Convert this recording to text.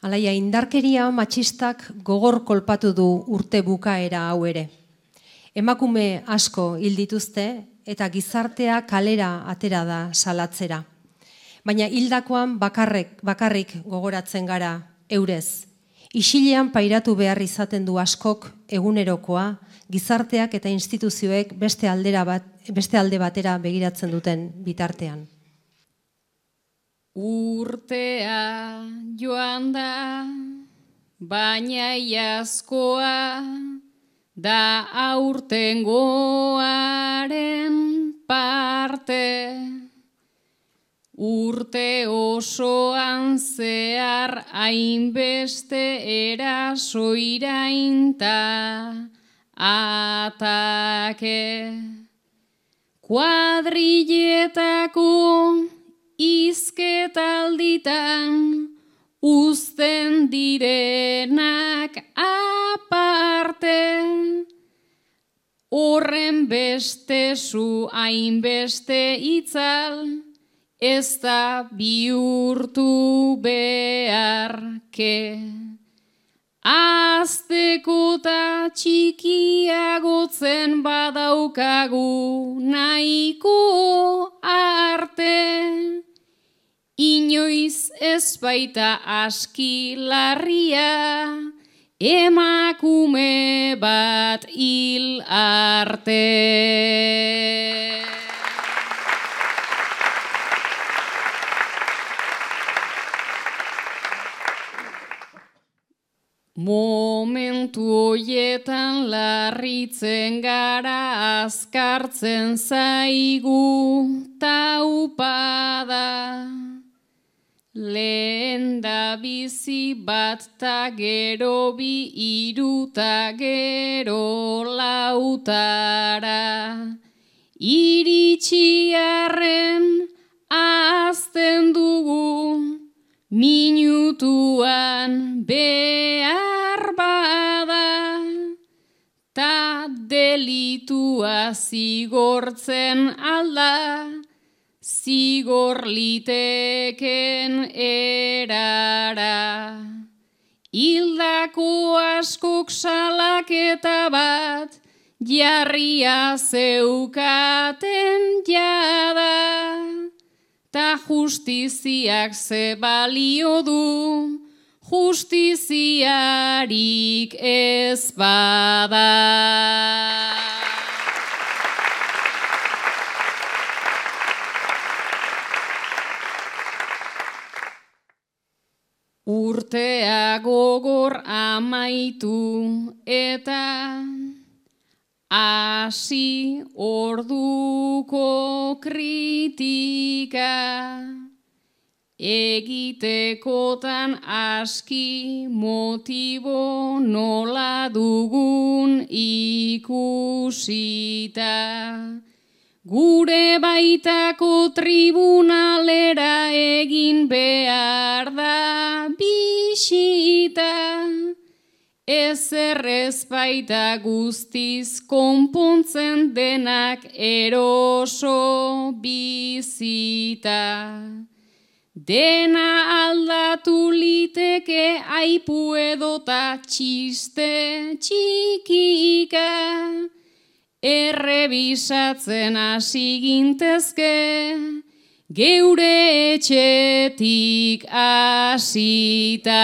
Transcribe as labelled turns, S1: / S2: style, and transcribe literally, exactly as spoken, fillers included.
S1: Alaia, indarkeria matxistak gogor kolpatu du urte bukaera hau ere. Emakume asko hil dituzte eta gizartea kalera atera da salatzera. Baina hildakoan bakarrik, bakarrik gogoratzen gara eurez. Isilean pairatu behar izaten du askok egunerokoa, gizarteak eta instituzioek beste aldera bat, beste alde batera begiratzen duten bitartean.
S2: Urtea joan da, baina iazkoa da aurtengoaren parte. Urte osoan zehar hainbeste eraso irainta atake. Kuadrilletako izketalditan uzten direnak aparte. Horren beste zu hainbeste itzal, ez da bihurtu beharke. Azteko ta txikiagotzen badaukagu nahiko arte. Inoiz ez baita aski larria, emakume bat hil arte. Momentu hoietan larritzen gara, azkartzen zaigu taupada. Lehen da bizi bat ta gero bi hiru ta gero lautara. Iritsi arren azten dugu, minutuan behar bada, ta delitua zigortzen alda, zigor liteken erara. Hildako askok salaketa bat, jarria zeukaten jada. Ta justiziak ze balio du, justiziarik ez bada. Urtea gogor amaitu eta hasi orduko kritika, egitekotan aski motibo nola dugun ikusita. Gure baitako tribunalera egin behar da bisita. Ezer ez baita guztiz konpontzen denak eroso bizita. Dena aldatu liteke aipu edota txiste txikika. Errebisatzen hasi gintezke, geure etxetik hasita.